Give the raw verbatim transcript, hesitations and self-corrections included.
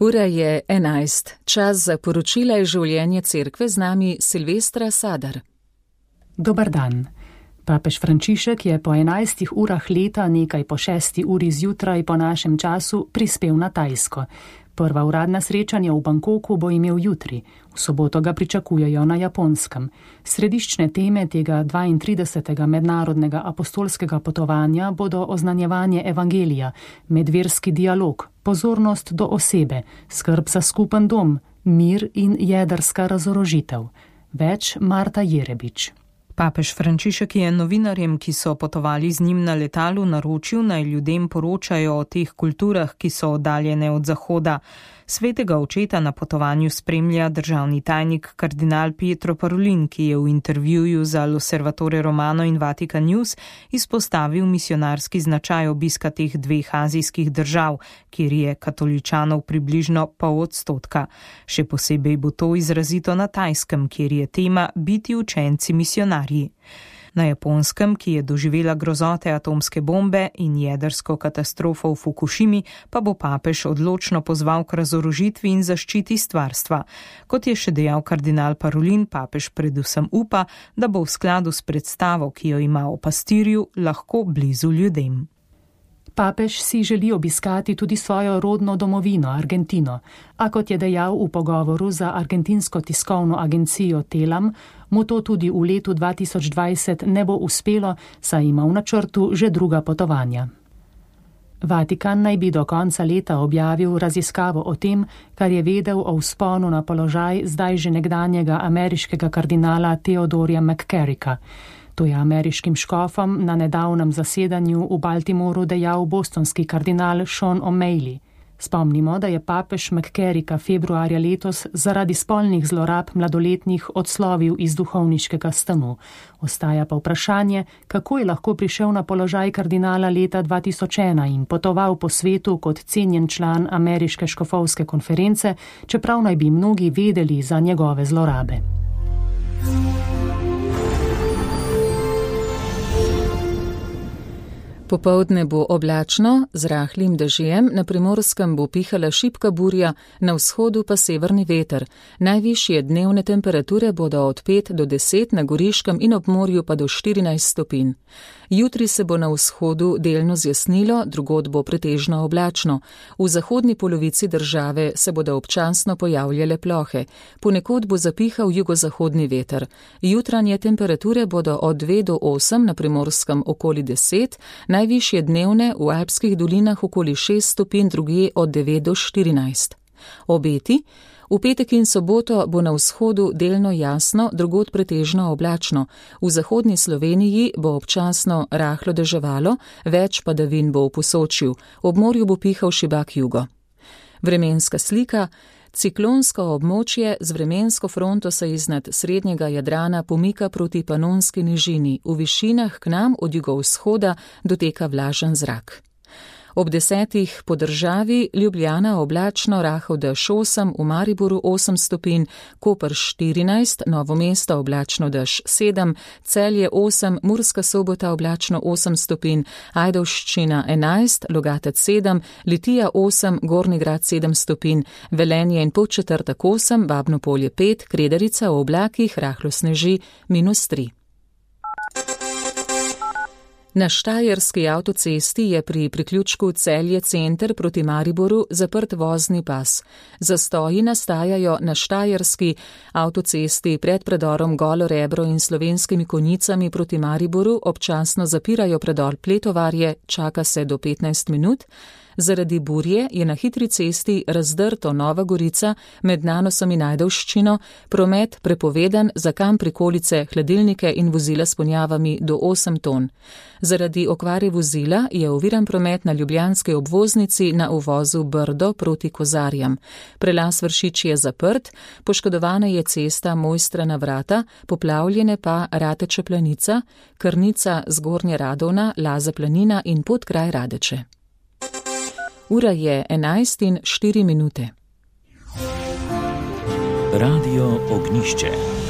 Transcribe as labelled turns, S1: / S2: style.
S1: Ura je enajst. Čas za poročila iz življenja cerkve, z nami Silvestra Sadar.
S2: Dobar dan. Papež Frančišek je po enajstih urah leta, nekaj po šesti uri zjutraj po našem času, prispel na Tajsko. Prva uradna srečanja v Bangkoku bo imel jutri, v soboto ga pričakujejo na Japonskem. Središčne teme tega dvaintridesetega mednarodnega apostolskega potovanja bodo oznanjevanje evangelija, medverski dialog, pozornost do osebe, skrb za skupen dom, mir in jedrska razorožitev. Več Marta Jerebič.
S3: Papež Frančišek je novinarjem, ki so potovali z njim na letalu, naročil, naj ljudem poročajo o teh kulturah, ki so oddaljene od Zahoda. Svetega očeta na potovanju spremlja državni tajnik kardinal Pietro Parolin, ki je v intervjuju za L'Osservatore Romano in Vatican News izpostavil misionarski značaj obiska teh dveh azijskih držav, kjer je katoličanov približno pol odstotka. Še posebej bo to izrazito na Tajskem, kjer je tema biti učenci misionarji. Na Japonskem, ki je doživela grozote atomske bombe in jedrsko katastrofo v Fukušimi, pa bo papež odločno pozval k razorožitvi in zaščiti stvarstva. Kot je še dejal kardinal Parolin, papež predvsem upa, da bo v skladu s predstavo, ki jo ima o pastirju, lahko blizu ljudem.
S2: Papež si želi obiskati tudi svojo rodno domovino, Argentino, a kot je dejal v pogovoru za argentinsko tiskovno agencijo Telam, mu to tudi v letu dva tisoč dvajset ne bo uspelo, saj ima v načrtu že druga potovanja. Vatikan naj bi do konca leta objavil raziskavo o tem, kar je vedel o vzponu na položaj zdaj že nekdanjega ameriškega kardinala Theodorja McCarricka. To je ameriškim škofom na nedavnem zasedanju v Baltimoru dejal bostonski kardinal Sean O'Malley. Spomnimo, da je papež McCarricka februarja letos zaradi spolnih zlorab mladoletnih odslovil iz duhovniškega stanu. Ostaja pa vprašanje, kako je lahko prišel na položaj kardinala leta dva tisoč ena in potoval po svetu kot cenjen član ameriške škofovske konference, čeprav naj bi mnogi vedeli za njegove zlorabe.
S1: Popoldne bo oblačno, z rahlim dežjem, na Primorskem bo pihala šibka burja, na vzhodu pa severni veter. Najvišje dnevne temperature bodo od pet do deset, na Goriškem in ob morju pa do štirinajst stopinj. Jutri se bo na vzhodu delno zjasnilo, drugod bo pretežno oblačno. V zahodni polovici države se bodo občasno pojavljale plohe. Ponekod bo zapihal jugozahodni veter. Jutranje temperature bodo od dve do osem, na Primorskem okoli deset, najvišje dnevne v alpskih dolinah okoli šest stopinj, drugje od devet do štirinajst. Obeti: v petek in soboto bo na vzhodu delno jasno, drugod pretežno oblačno. V zahodni Sloveniji bo občasno rahlo deževalo, več padavin bo v Posočju, ob morju bo pihal šibak jugo. Vremenska slika: ciklonsko območje z vremensko fronto se iznad srednjega Jadrana pomika proti Panonski nižini, v višinah k nam od jugovzhoda doteka vlažen zrak. Ob desetih po državi: Ljubljana oblačno, rahel dež osem, v Mariboru osem stopinj, Koper štirinajst, Novo mesto oblačno dež sedem, Celje osem, Murska Sobota oblačno osem stopinj, Ajdovščina enajst, Logatec sedem, Litija osem, Gornji Grad sedem stopinj, Velenje in Podčetrtek osem, Babno Polje pet, Kredarica v oblakih, rahlo sneži, minus tri. Na Štajerski avtocesti je pri priključku Celje center proti Mariboru zaprt vozni pas. Zastoji nastajajo na Štajerski avtocesti pred predorom Golo Rebro in Slovenskimi Konjicami proti Mariboru, občasno zapirajo predor Pletovarje, čaka se do petnajst minut. Zaradi burje je na hitri cesti razdrto Nova Gorica med Nanosom in Ajdovščino, promet prepovedan za kam prikolice, hladilnike in vozila s ponjavami do osem ton. Zaradi okvare vozila je oviran promet na ljubljanski obvoznici na uvozu Brdo proti Kozarjam. Prelaz Vršič je zaprt, poškodovana je cesta Mojstrana vrata, poplavljene pa Rateče Planica, Krnica Zgornje Radovna, Laza Planina in Podkraj Radeče. Ura je enajst in štiri minute.
S4: Radio Ognjišče.